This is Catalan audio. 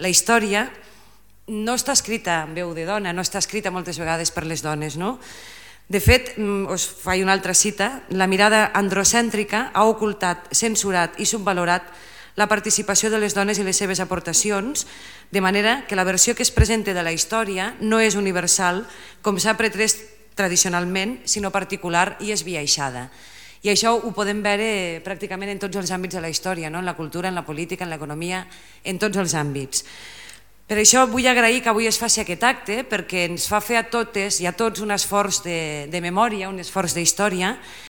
la història no està escrita en veu de dona, no està escrita moltes vegades per les dones, no? De fet, us faig una altra cita, la mirada androcèntrica ha ocultat, censurat i subvalorat la participació de les dones i les seves aportacions, de manera que la versió que es presenta de la història no és universal, com s'ha pretès tradicionalment, sinó particular i esbiaixada. I això ho podem veure pràcticament en tots els àmbits de la història, en la cultura, en la política, en l'economia, en tots els àmbits. Per això vull agrair que avui es faci aquest acte, perquè ens fa fer a totes i a tots un esforç de memòria, un esforç d'història,